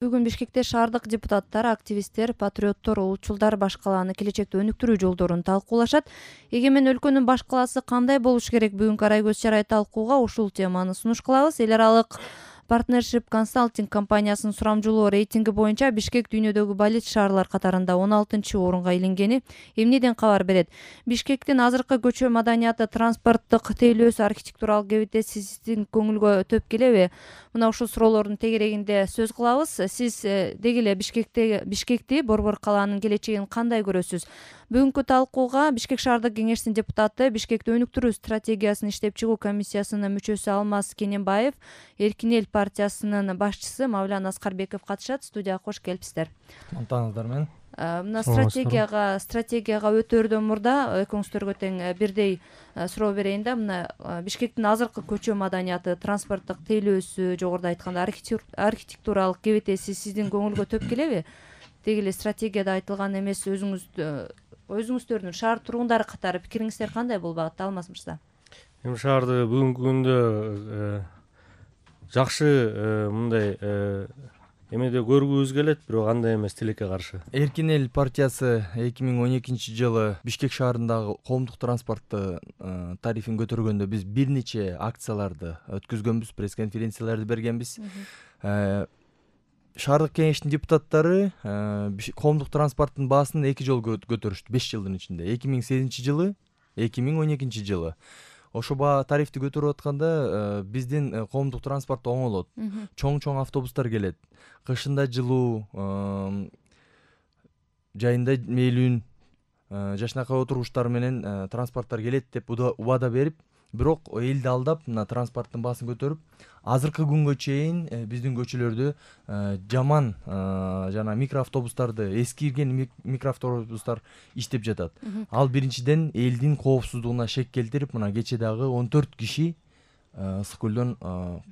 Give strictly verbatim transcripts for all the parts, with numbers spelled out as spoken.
Бүгүн Бишкекте шаардык депутаттар, активисттер, патриоттор, улутчулдар баш калааны келечекте өнүктүрүү жолдорун талкуулашат. Эгемен өлкөнүн баш калаасы кандай болуш керек? Бүгүнкү Арай көз чарай талкууга ушул теманы сунуш кылабыз. Эл аралык Partnership Consulting компаниясынын сурамжылоо рейтинги боюнча Бишкек дүйнөдөгү балет шаарлар катарында он алтынчы орунга илингени эмнеден кабар берет? Бишкектин азыркы көчө маданияты, транспорттук тейлөөсү, архитектуралык кебетеси сиздин көңүлгө төп келеби? Мына ушул суроолордун тегерегинде сөз кылабыз. Сиз деги эле Бишкекте Бишкекти, Борбор калаанын келечегин кандай көрөсүз? Бүгүнкү талкууга Бишкек шаардык кеңешинин депутаты, Бишкекти өнүктүрүү стратегиясын иштеп чыгуу комиссиясынын мүчөсү Алмаз Кененбаев, Эркин эл партиясынын башчысы Мавлян Аскарбеков катышат. Студияга кош келипсиздер. Мантаңыздар мен. Мына стратегияга стратегияга өтөөрдөн мурда экөөңүздөргө тең бирдей суроо берейин да. Мына Бишкектин азыркы көчө маданияты, транспорттук тейлөөсү, жогоруда айтканда архитектуралык кебетеси сиздин көңүлгө төп келеби? Деги эле стратегияда айтылган эмес, өзүңүз өзүңүздөрдүн шаар тургундары катары пикириңиздер кандай бул багытта, Алмаз мырза? Эми шаарды бүгүнкү күндө жакшы мындай эмеде көргүбүз келет, бирок андай эмес, тилекке каршы. Эркин эл партиясы эки миң он экинчи жылы Бишкек шаарындагы коомдук транспортту тарифин көтөргөндө биз бир нече акцияларды өткөзгөнбүз, пресс-конференцияларды бергенбиз. Шаардык кеңештин депутаттары коомдук транспорттун баасын эки жолу көтөрүштү беш жылдын ичинде. эки миң сегизинчи жылы, эки миң он экинчи жылы. Ошо баа тарифти көтөрүп атканда биздин коомдук транспорт оңолот. Чоң-чоң автобустар келет. Кышында жылуу, жайында мээлүүн, жашынакай отургучтар менен транспорттор келет деп убада берип, бирок элди алдап, мына транспорттун баасын көтөрүп, азыркы күнгө чейин биздин көчөлөрдө жаман жана микроавтобустарды, эскирген микроавтобустар иштеп жатат. Ал биринчиден элдин коопсуздугуна шек келтирип, мына кече дагы он төрт киши ысык көлдөн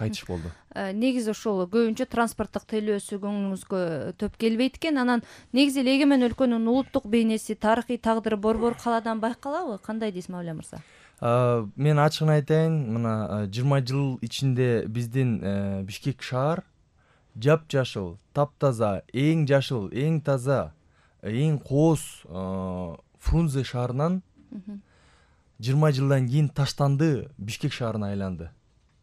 кайтыш болду. Негизи ошол көбүнчө транспорттук тейлөөсү көңүлүңүзгө төп келбейт экен. Анан негизи эле эгемен өлкөнүн улуттук бейнеси, тарыхый тагдыры Борбор калаадан байкалабы? Кандай дейсиз, Мавля мырза? Мен ачыгын айтайын, мына жыйырма жыл ичинде биздин Бишкек шаар жапжашыл, таптаза, эң жашыл, эң таза, эң кооз Фрунзе шаарынан жыйырма жылдан кийин таштанды Бишкек шаарына айланды.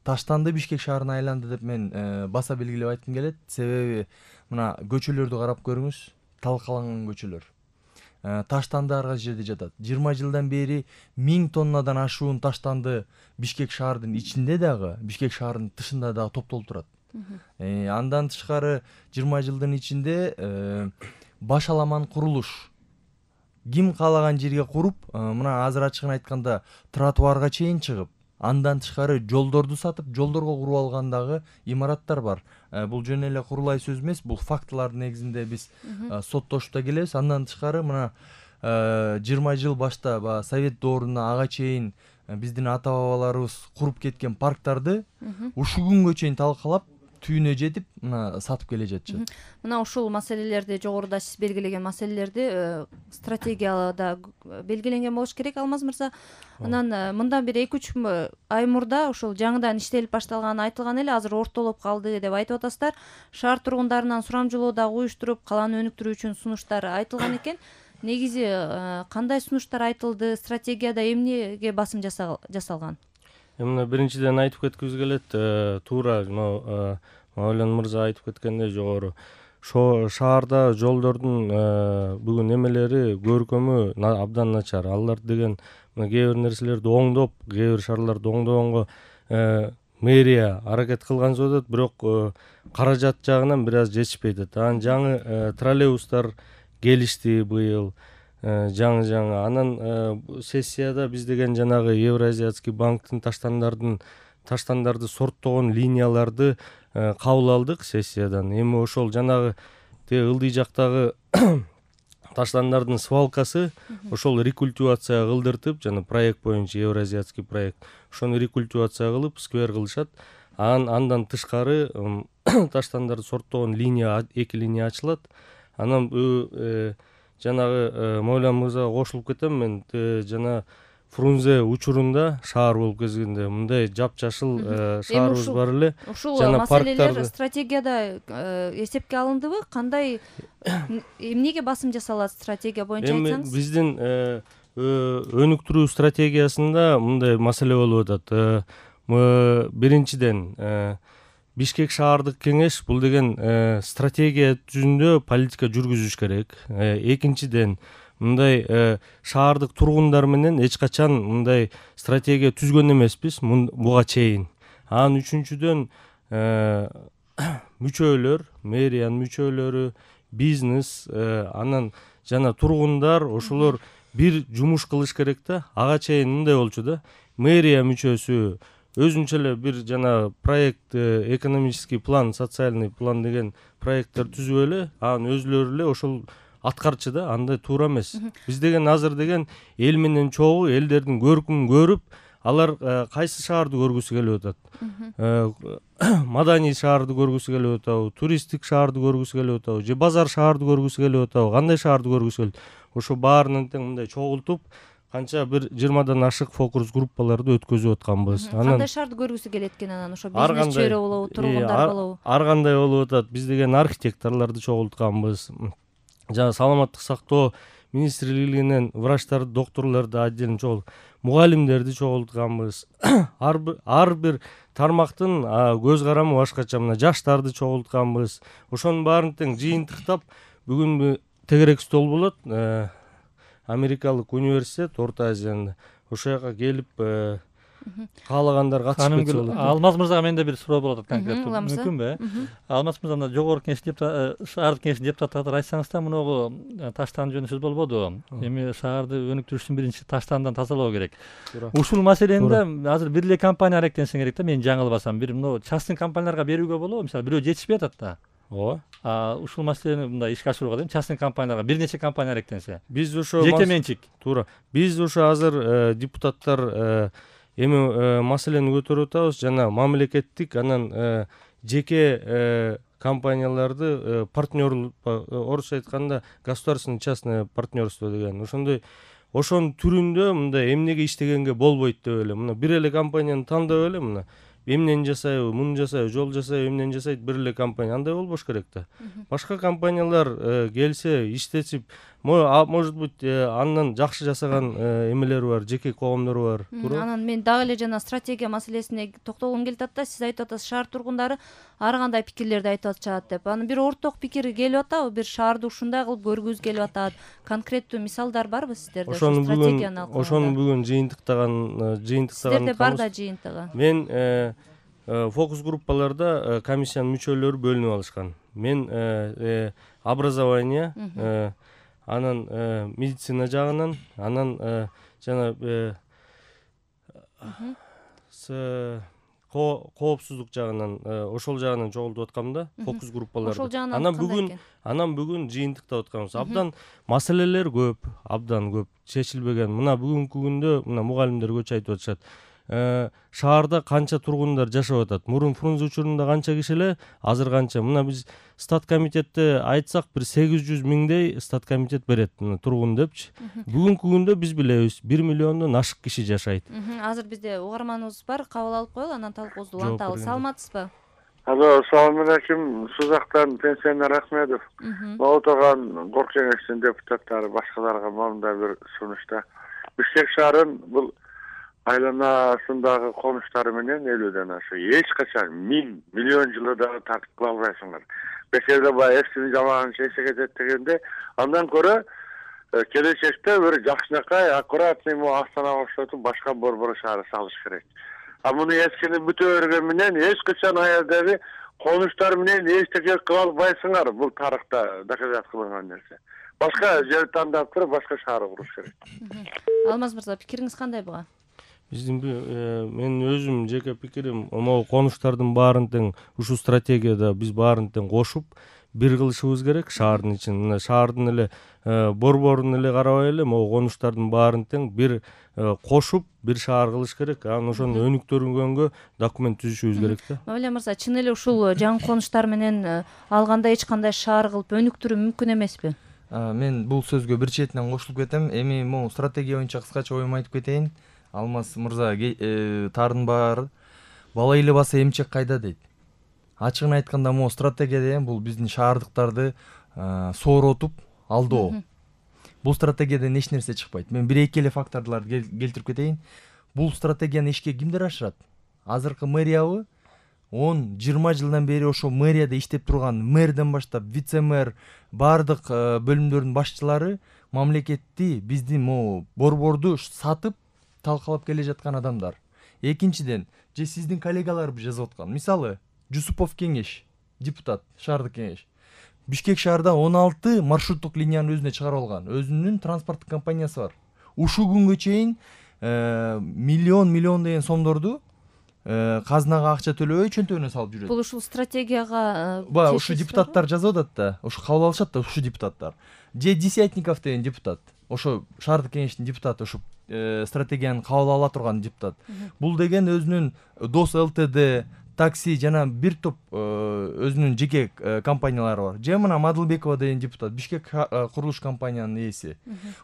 Таштанды Бишкек шаарына айланды деп мен баса белгилеп айткым келет. Себеби мына көчөлөрдү карап көрүңүз, талкаланган көчөлөр. Таштанды ар кайсы жерде жатат. жыйырма жылдан бери миң тоннадан ашуун таштанды Бишкек шаардын ичинде дагы, Бишкек шаарынын тышында дагы топтолуп турат. Андан тышкары жыйырма жылдын ичинде башаламан курулуш. Ким каалаган жерге куруп, мына азыр ачыгын айтканда тротуарга чейин чыгып, андан тышкары жолдорду сатып, жолдорго куруп алган дагы имараттар бар. Бул жөн эле курулай сөз эмес, бул фактылардын негизинде биз соттошуп да келебиз. Андан тышкары мына жыйырма жыл башта баягы Совет доорунда ага чейин биздин ата-бабаларыбыз куруп кеткен парктарды ушул күнгө чейин талкалап, түйүнө жетип, мына сатып келе жатышат. Мына ушул маселелерди, жогоруда сиз белгилеген маселелерди стратегияда белгиленген болуш керек, Алмаз мырза. Анан мындан бир эки үч ай мурда ушул жаңыдан иштелип башталганы айтылган эле, азыр ортолоп калды деп айтып атасыздар. Шаар тургундарынан сурамжылоо дагы уюштуруп, калааны өнүктүрүү үчүн сунуштар айтылган экен. Негизи кандай сунуштар айтылды? Стратегияда эмнеге басым жасалган? Мына биринчиден айтып кеткибиз келет, туура жана Мавлян мырза айтып кеткендей жогору. Ошо шаарда жолдордун бүгүн эмелери, көркөмү абдан начар. Алар деген кээ бир нерселерди оңдоп, кээ бир шаарларды оңдогонго мэрия аракет кылган болот, бирок каражат жагынан бир аз жетишпей атат. Анан жаңы троллейбустар келишти быйыл. жаңы-жаңы. Анан сессияда биз деген жанагы Евразиатский банктын таштандардын таштандарды сорттогон линияларды кабыл алдык сессиядан. Эми ошол жанагы ылдый жактагы таштандардын свалкасы ошол рекультивация кылдыртып, жана проект боюнча Евразиатский проект, ошону рекультивация кылып сквер кылышат. Андан тышкары таштандарды сорттогон линия, эки линия ачылат. Анан жанагы Мавлян мырзага кошулуп кетем мен. Жана Фрунзе учурунда шаар болуп кезгенде мындай жапжашыл шаарыбыз бар эле. Ушул жана маселелер парктарды стратегияда эсепке алындыбы? Кандай эмнеге басым жасалат стратегия боюнча эми айтсаңыз? биздин өнүктүрүү стратегиясында мындай маселе болуп атат. Биринчиден, Бишкек шаардык кеңеш бул деген стратегия жүзүндө политика жүргүзүш керек. Экинчиден, мындай шаардык тургундар менен эч качан мындай стратегия түзгөн эмеспиз буга чейин. Анан үчүнчүдөн, мүчөлөр, мэриянын мүчөлөрү, бизнес, анан жана тургундар ошолор бир жумуш кылыш керек да. Ага чейин мындай болчу да. Мэрия мүчөсү өзүнчө эле бир жана проект, экономический план, социальный план деген проекттер түзүп эле, анан өзүлөрү эле ошол аткарчы да. Андай туура эмес. Биз деген азыр деген эл менен чогуу, элдердин көркүмүн көрүп, алар кайсы шаарды көргүсү келип атат. Маданий шаарды көргүсү келип атабы, туристтик шаарды көргүсү келип атабы, же базар шаарды көргүсү келип атабы, кандай шаарды көргүсү келип. Ошо баарынан тең мындай чогултуп, канча бир жыйырмадан ашык фокус группаларды өткөзүп атканбыз. Кандай шаарды көргүсү келет экен анан? Ошо бизнес чөйрө болобу, тургундар болобу? Ар кандай болуп атат. Биз деген архитекторлорду чогултканбыз. Жана саламаттык сактоо министрлигинен врачтарды, докторлорду отдельно чогултуп, мугалимдерди чогултканбыз. Ар бир тармактын көз карамы башкача. Мына жаштарды чогултканбыз. Ошонун баарын тең жыйынтыктап, бүгүн тегерек стол болот. Америкалык университет Орто Азияда. Ошол жака келип каалагандар катышып кетсе болот. Алмаз мырзага менде бир суроо болот конкреттүү. Мүмкүнбү? Алмаз мырза, мына жогорку кеңеш депутаты, шаардык кеңештин депутаты катары айтсаңыз да, мунугу таштан жөнүндө сөз болбоду. Эми шаарды өнүктүрүш үчүн биринчи таштандан тазалоо керек. Ушул маселенде азыр бир эле компания аракеттенсе керек да, мен жаңылбасам. Бир мына частный компанияларга берүүгө болобу? Мисалы, бирөө жетишпей атат да. Ооба. Ушул маселени мындай ишке ашырууга дейм, частный компанияларга бир нече компания аракеттенсе. Биз ошо жеке менчик. Туура. Биз ошо азыр депутаттар эми маселени көтөрүп атабыз, жана мамлекеттик анан жеке компанияларды партнер, орусча айтканда государственный частное партнерство деген. Ошондой ошонун түрүндө мындай эмнеге иштегенге болбойт деп эле. Мына бир эле компанияны тандап эле мына эмнени жасайбы, муну жасайбы, жол жасайбы, эмнени жасайт бир эле компания. Андай болбош керек да. Башка компаниялар келсе, иштетип, может быть, андан жакшы жасаган эмелери бар, жеке коомдору бар. Анан мен дагы эле жана стратегия маселесине токтолгум келип атат да. Сиз айтып атасыз, шаар тургундары ар кандай пикирлерди айтып атышат деп. Анан бир орток пикир келип атабы? Бир шаарды ушундай кылып көргүбүз келип атат. Конкреттүү мисалдар барбы сиздерде ошол стратегияны алкаганда? Ошону бүгүн жыйынтыктаган, жыйынтыктаган. Сиздерде бар да жыйынтыгы. Мен фокус группаларда комиссиянын мүчөлөрү бөлүнүп алышкан. Мен образование, анан медицина жагынан, анан жана коопсуздук жагынан, ошол жагынан чогултуп аткам да, фокус группаларды. Анан бүгүн анан бүгүн жыйынтыктап атканбыз. Абдан маселелер көп, абдан көп чечилбеген. Мына бүгүнкү күндө мына мугалимдер көчү айтып атышат. Шаарда канча тургундар жашап атат? Мурун Фрунзе учурунда канча киши эле, азыр канча? Мына биз стат комитетте айтсак, бир сегиз жүз миңдей стат комитет берет тургун депчи. Бүгүнкү күндө биз билебиз, бир миллиондон ашык киши жашайт. Азыр бизде угарманыбыз бар, кабыл алып коелу, анан талкуубузду уланталы. Саламатсызбы? Алло, салам алейкум. Сузактан пенсионер Ахмедов. Отоган Гор кеңештин депутаттары башкаларга мындай бир сунушта. Бишкек шаарын бул айланасындагы конуштары менен элүүдөн ашык эч качан миң миллион жылы дагы тартып кыла албайсыңар. Бекерде баягы эфсини жамаган чече кетет дегенде, андан көрө келечекте бир жакшынакай аккуратный Астанага окшотуп башка борбор шаары салыш керек. А муну эскини бүтө өргөн менен эч качан аялдагы конуштар менен эчтеке кыла албайсыңар. Бул тарыхта доказат кылынган нерсе. Башка жер тандап туруп башка шаар куруш керек. Алмаз мырза, пикириңиз кандай буга? Биздин мен өзүм жеке пикирим, могу конуштардын баарын тең ушул стратегияда биз баарын тең кошуп бир кылышыбыз керек шаардын ичин. Мына шаардын эле борборун эле карабай эле могу конуштардын баарын тең бир кошуп бир шаар кылыш керек. Анан ошону өнүктүргөнгө документ түзүшүбүз керек да. Мавля мырза, чын эле ушул жаңы конуштар менен алганда эч кандай шаар кылып өнүктүрүү мүмкүн эмеспи? мен бул сөзгө бир четинен кошулуп кетем. Эми могу стратегия боюнча кыскача оюмду айтып кетейин. Алмаз мырза таардын баары бала эле баса эмчек кайда дейт. Ачыгын айтканда могу стратегия деген бул биздин шаардыктарды сооротуп алдоо. Бул стратегиядан эч нерсе чыкпайт. Мен бир эки эле факторлорду келтирип кетейин. Бул стратегияны ишке кимдер ашырат? Азыркы мэриябы он жыйырма жылдан бери ошо мэрияда иштеп турган мэрден баштап вице-мэр баардык бөлүмдөрдүн башчылары мамлекетти, биздин могу борборду сатып талкалап келе жаткан адамдар. Экинчиден, же сиздин коллегалар жазып аткан. Мисалы, Жусупов кеңеш, депутат, шаардык кеңеш. Бишкек шаарда он алты маршруттук линияны өзүнө чыгарып алган. Өзүнүн транспорттук компаниясы бар. Ушул күнгө чейин миллион миллион деген сомдорду казынага акча төлөбөй чөнтөгүнө салып жүрөт. Бул ушул стратегияга ба ушу депутаттар жазып атат да, ушу кабыл алышат да ушу депутаттар. Же Десятников деген депутат, ошо шаардык кеңештин депутаты, ошо стратегияны кабыл ала турган депутат. Бул деген өзүнүн Дос ЛТД, такси жана бир топ өзүнүн жеке компаниялары бар. Же мына Мадылбекова деген депутат, Бишкек курулуш компаниянын ээси.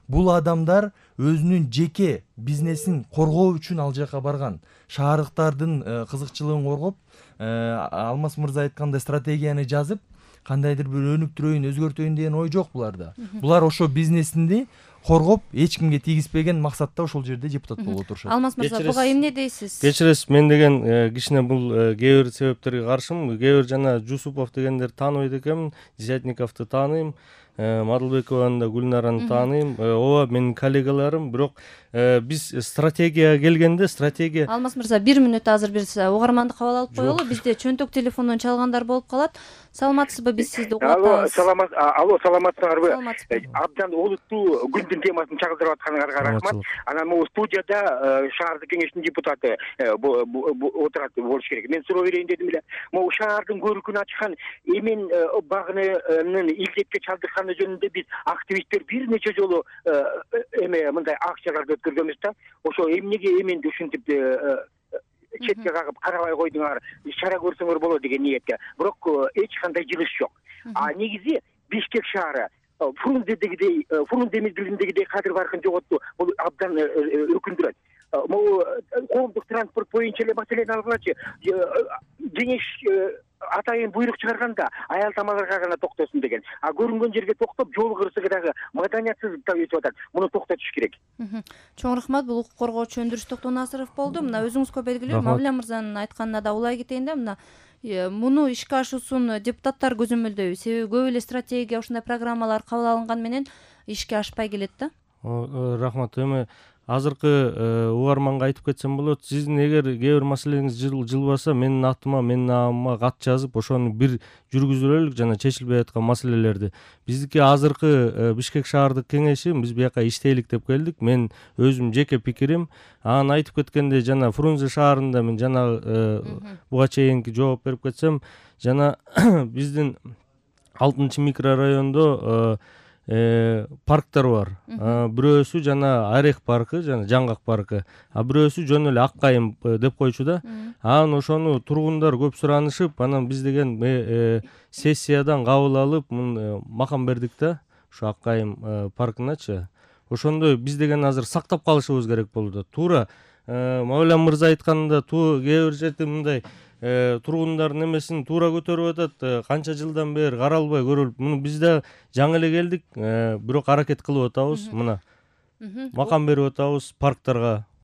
Бул адамдар өзүнүн жеке бизнесин коргоо үчүн ал жака барган. Шаардыктардын кызыкчылыгын коргоп, Алмаз мырза айткандай стратегияны жазып, кандайдыр бир өнүктүрөйүн, өзгөртөйүн деген ой жок буларда. Булар ошо бизнесинди коргоп, эч кимге тийгизбеген максатта ошол жерде депутат болуп отурушат. Алмаз мырза, буга эмне дейсиз? Кечиресиз, мен деген кичине бул кээ бир себептерге каршымын. Кээ бир жана Жусупов дегендерди тааныбайт экенмин, Десятниковду тааныйм, Мадылбекованы да, Гүлнараны тааныйм. Ооба менин коллегаларым, бирок биз стратегияга келгенде стратегия. Алмаз мырза, бир мүнөт азыр биз угарманды кабыл алып коелу. Бизде чөнтөк телефондон чалгандар болуп калат. Саламатсызбы, биз сизди угуп атабыз. Алло, саламат, алло, саламатсыздарбы? Абдан олуттуу күндүн темасын чагылдырып атканыңарга рахмат. Анан могу студияда шаардык кеңештин депутаты отурат болуш керек. Мен суроо берейин дедим эле. Могу шаардын көркүн ачкан эмен багынын илдетке чалдыкканы жөнүндө биз активисттер бир нече жолу эме мындай акцияларды өткөргөнбүз да. Ошо эмнеге эменди ушинтип четке кагып карабай койдуңар, чара көрсөңөр болот деген ниетке. Бирок эч кандай жылыш жок. А негизи Бишкек шаары Фрунзедегидей, Фрунзе мезгилиндегидей кадыр баркын жоготту. Бул абдан өкүндүрөт. Могу коомдук транспорт боюнча эле маселени алгылачы. Кеңеш атайын буйрук чыгарганда аял тамаларга гана токтосун деген. А көрүнгөн жерге токтоп, жол кырсыгы дагы маданиятсыздыкта өтүп атат. Муну токтотуш керек. Чоң рахмат. Бул укук коргоочу Өндүрүш Токтонасыров болду. Мына өзүңүзгө белгилүү, Мавля мырзанын айтканына да улай кетейин да, мына муну ишке ашуусун депутаттар көзөмөлдөйбү. Себеби көп эле стратегия, ушундай программалар кабыл алынган менен ишке ашпай келет да. Рахмат. Эми азыркы угарманга айтып кетсем болот. Сиздин эгер кээ бир маселеңиз жылбаса, менин атыма, менин намыма кат жазып, ошону бир жүргүзүлөлүк жана чечилбей аткан маселелерди. Биздики азыркы Бишкек шаардык кеңеши, биз бияка иштейлик деп келдик. Мен өзүм жеке пикирим. Анан айтып кеткендей, жана Фрунзе шаарында мен жана буга чейинки жооп берип кетсем, жана биздин алтынчы микрорайондо парктар бар. Бирөөсү жана Орех паркы, жана Жаңгак паркы. А бирөөсү жөн эле Ак Кайым деп койчу да. Анан ошону тургундар көп суранышып, анан биз деген сессиядан кабыл алып, макам бердик да, ушу Ак Кайым паркыначы. Ошондой биз деген азыр сактап калышыбыз керек болду. Туура Мавля мырза айтканда, кээ бир жерде мындай тургундардын эмесин туура көтөрүп атат, канча жылдан бери каралбай көрүлүп. Муну биз да жаңы эле келдик, бирок аракет кылып атабыз. Мына макам берип атабыз парктарга.